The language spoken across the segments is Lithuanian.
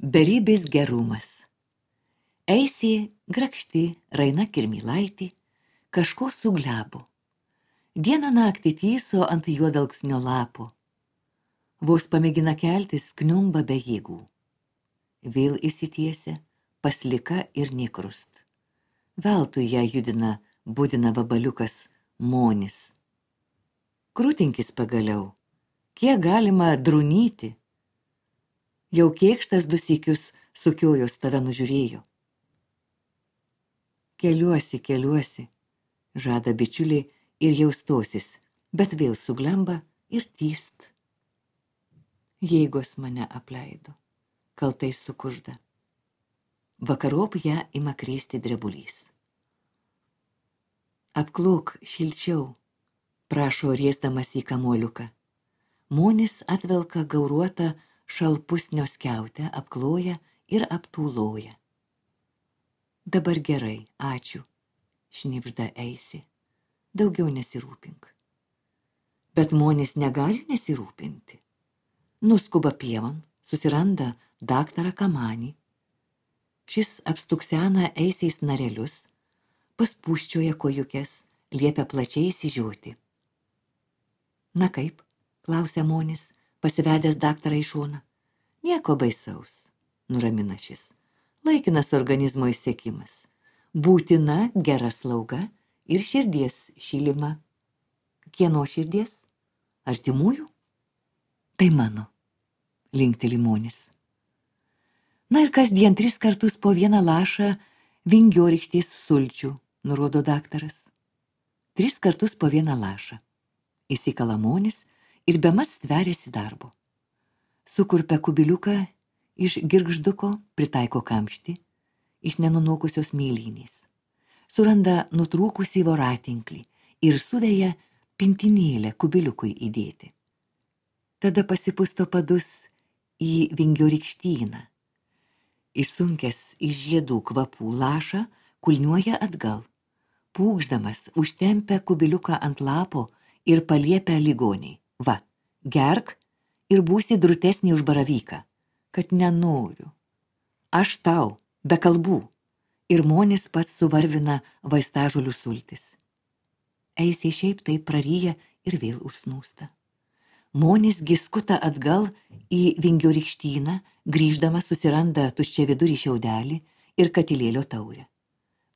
Beribis gerumas. Eisė grakšti Raina Kirmylaitė kažko suglebo. Dieną naktį tyso ant juodalksnio lapo. Vos pamėgina keltis, kniumba be jėgų. Vėl įsitiesia, paslika ir nekrust. Veltui ją judina, budina vabaliukas Monis. Krūtinkis pagaliau, kiek galima drunyti. Jau kėkštas du sykius sukiojos tave nužiūrėjo. Keliuosi, žada bičiuliai ir jau stosis, bet vėl suglemba ir tyst. Jėgos mane apleido, kaltai sukužda. Vakarop ją ima krėsti drebulys. Apklok šilčiau, prašo riesdamas į kamuoliuką. Monis atvelka gauruotą šalpusnio skiautę, apkloja ir aptūloja. Dabar gerai, ačiū, šnibžda Eisė. Daugiau nesirūpink. Bet Monis negali nesirūpinti. Nuskuba pievan, susiranda daktarą Kamanį. Šis apstuksena Eisės narelius, paspūsčioja kojukes, liepia plačiai įsižiūrėti. Na kaip, klausia Monis, pasivedęs daktarą į šoną. Nieko baisaus, nuramina šis. Laikinas organizmo išsekimas. Būtina gera slauga ir širdies šilima. Kieno širdies? Artimųjų? Tai mano, linkteli Monis. Na ir kasdien 3 kartus po 1 lašą vingiorykštės sulčių, nurodo daktaras. 3 kartus po 1 lašą. Įsikala Monis ir bemat stveriasi darbo. Sukurpia kubiliuką iš girgžduko, pritaiko kamštį iš nenunokusios mėlynės. Suranda nutrūkusį voratinklį ir suveja pintinėlę kubiliukui įdėti. Tada pasipusto padus į vingiorykštyną. Išsunkęs iš žiedų kvapų lašą kulniuoja atgal. Pūkšdamas užtempia kubiliuką ant lapo ir paliepia ligoniai. Va, gerk ir būsi drutesnį už baravyką. Kad nenoriu. Aš tau, be kalbų. Ir Monis pats suvarvina vaistažolių sultis. Eisė šiaip taip praryja ir vėl užsnūsta. Monis giskuta atgal į vingiorykštyną, grįždamas susiranda tuščiavidurį šiaudelį ir katilėlio taurę.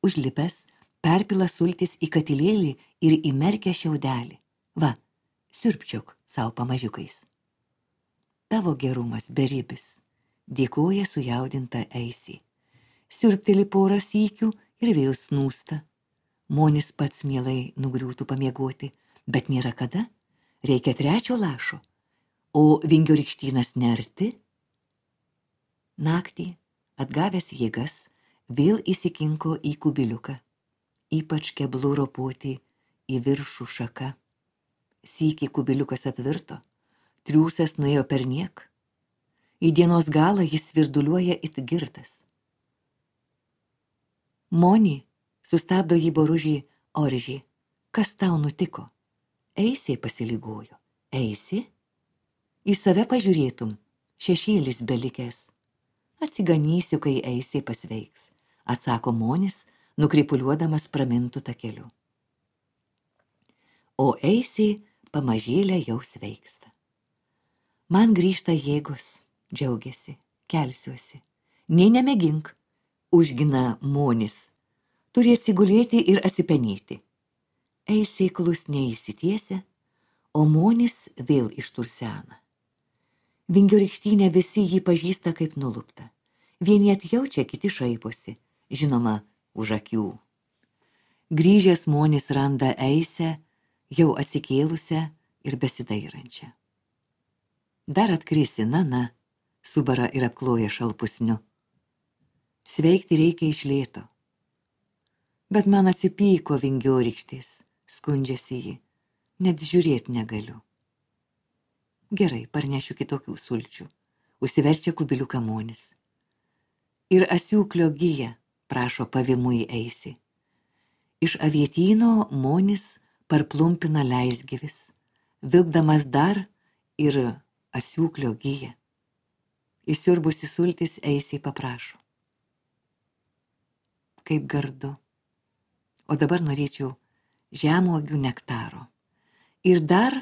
Užlipęs, perpila sultis į katilėlį ir įmerkia šiaudelį. Va, siurbčiok savo pamažiukais. Tavo gerumas beribis. Dėkoja sujaudinta Eisė. Siurbteli porą sykių ir vėl snūsta. Monis pats mielai nugriūtų pamiegoti, bet nėra kada. Reikia 3 lašo, o vingiorykštynas nerti. Naktį, atgavęs jėgas, vėl įsikinko į kubiliuką. Ypač keblu ropoti į viršų šaką. Sykį kubiliukas apvirto, triūsas nuėjo perniek. Į dienos galą jis svirduliuoja it girtas. Moni, sustabdo jį boružį Oržį. Kas tau nutiko? Eisė pasilygojo. Eisė? Į save pažiūrėtum, šešėlis belikęs. Atsiganysiu, kai Eisė pasveiks, atsako Monis, nukrypuliuodamas pramintų takeliu. O Eisė pamažėlę jau sveiksta. Man grįžta jėgos. Džiaugiasi, kelsiuosi. Nei nemėgink, užgina Monis. Turi atsigulėti ir atsipenėti. Eisė klusniai įsitiesia, o Monis vėl ištursena. Vingiorykštynė visi jį pažįsta kaip nulupta. Vieni atjaučia, kiti šaiposi, žinoma, už akių. Grįžęs Monis randa Eisę, jau atsikėlusią ir besidairančią. Dar atkrisi, na, subara ir apkloja šalpusniu. Sveikti reikia iš lėto. Bet man atsipyko vingiorykštės, skundžiasi ji, net žiūrėt negaliu. Gerai, parnešiu kitokių sulčių, užsiverčia kubiliuką Monis. Ir asiūklio gija, prašo pavimui Eisė. Iš avietyno Monis parplumpina leisgyvis, vilkdamas dar ir asiūklio giją. Įsiurbusi sultis Eisiai paprašo. Kaip gardu. O dabar norėčiau žemuogių nektaro. Ir dar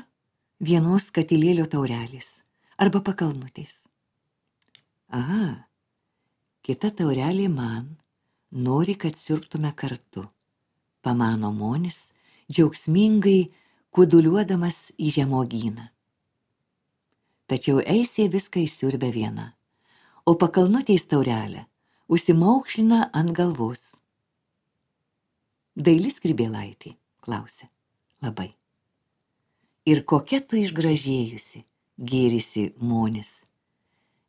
vienos katilėlio taurelės arba pakalnutės. Aha, kita taurelė man, nori, kad siurbtume kartu, pamano Monis, džiaugsmingai kuduliuodamas į žemuogyną. Tačiau Eisė viską išsiurbė viena, o pakalnutės taurelę užsimaukšlina ant galvos. Daili skrybėlaitė, klausė. Labai. Ir kokia tu išgražėjusi, gėrisi Monis.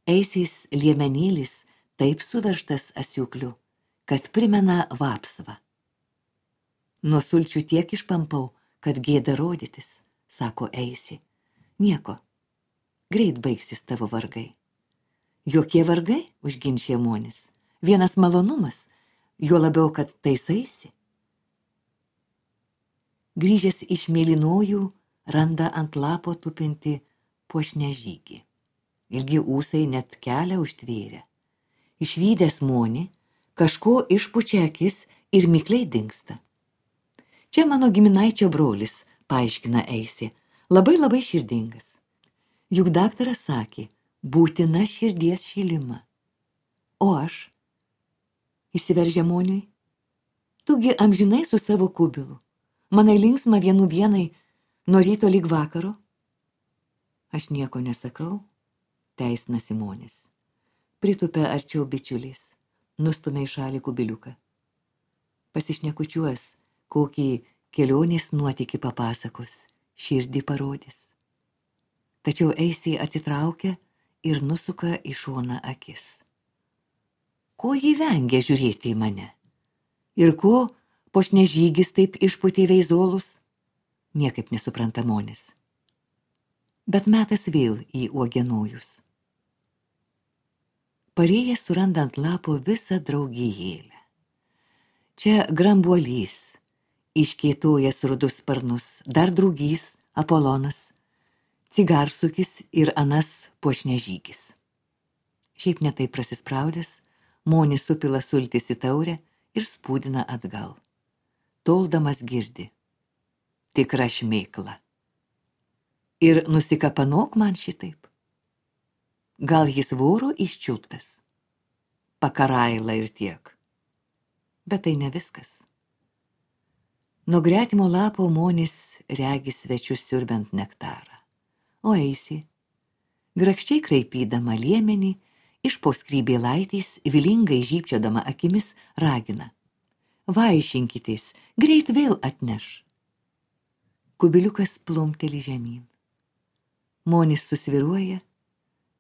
Eisės liemenėlis taip suveržtas asiukliu, kad primena vapsvą. Nuo sulčių tiek išpampau, kad gėda rodytis, sako Eisė. Nieko, greit baigsis tavo vargai. Jokie vargai, užginčia Monis. Vienas malonumas, juo labiau, kad taisaisi. Grįžęs iš mėlynojų, randa ant lapo tupinti puošnę žygį. Ilgi ūsai net kelią užtvėrė. Išvydęs Monį, kažko išpučia akis ir mikliai dingsta. Čia mano giminaičio brolis, paaiškina Eisė, labai širdingas. Juk daktaras sakė, būtina širdies šilima. O aš? Įsiveržia Moniui. Tugi amžinai su savo kubilu. Manai linksma vienai, nuo ryto lyg vakaro. Aš nieko nesakau, teisnasi Monis. Pritupia arčiau bičiulis, nustumia į šalį kubiliuką. Pasišnekučiuos, kokį kelionės nuotykį papasakos, širdį parodys. Tačiau Eisė atsitraukia ir nusuka į šoną akis. Ko ji vengia žiūrėti į mane? Ir ko puošnežygis taip išpūtė veizolus? Niekaip nesupranta Monis. Bet metas vėl į uogienojus. Parėjęs suranda ant lapo visą draugijėlę. Čia grambuolys, iškėtojęs rudus sparnus, dar drugys, Apolonas, cigarsukis ir anas puošnežygis. Šiaip netai prasispraudęs, Monis supila sultis į taurę ir spūdina atgal. Toldamas girdi. Tikra šmėkla. Ir nusikapanok man šitaip. Gal jis voro iščiulptas? Pakaraila ir tiek. Bet tai ne viskas. Nuo gretimo lapo Monis regi svečius siurbiant nektarą. O Eisė, grakščiai kraipydama liemenį, iš po skrybėlaitės, vilingai žybčiodama akimis, ragina. Vaišinkitės, greit vėl atneš. Kubiliukas plumpteli žemyn. Monis susviruoja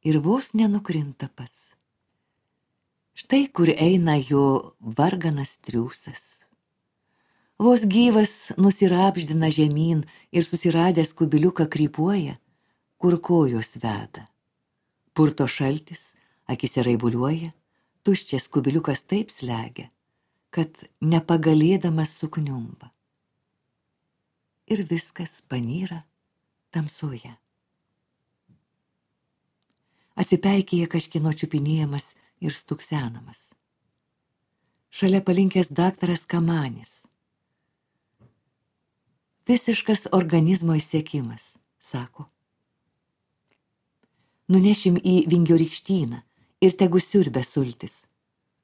ir vos nenukrinta pats. Štai kur eina jo varganas triūsas. Vos gyvas nusirapždina žemyn ir susiradęs kubiliuką krypuoja, kur kojos veda. Purto šaltis, akise raibuliuoja, tuščias kubiliukas taip slegia, kad nepagalėdamas sukniumba. Ir viskas panyra tamsoje. Atsipeikėja kažkieno čiupinėjamas ir stuksenamas. Šalia palinkęs daktaras Kamanis. Visiškas organizmo išsekimas, sako. Nunešim į Vingio rykštyną ir tegu siurbia sultis,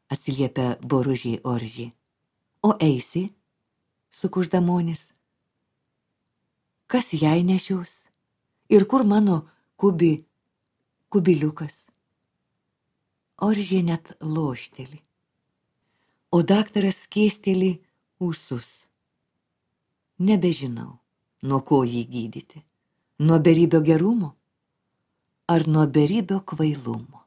atsiliepia boružiai Oržį. O Eisė, sukužda Monis, kas jai nešios ir kur mano kubiliukas? Oržė net lošteli, o daktaras skėsteli ūsus. Nebežinau, nuo ko jį gydyti, nuo beribio gerumo ar nuo beribio kvailumo.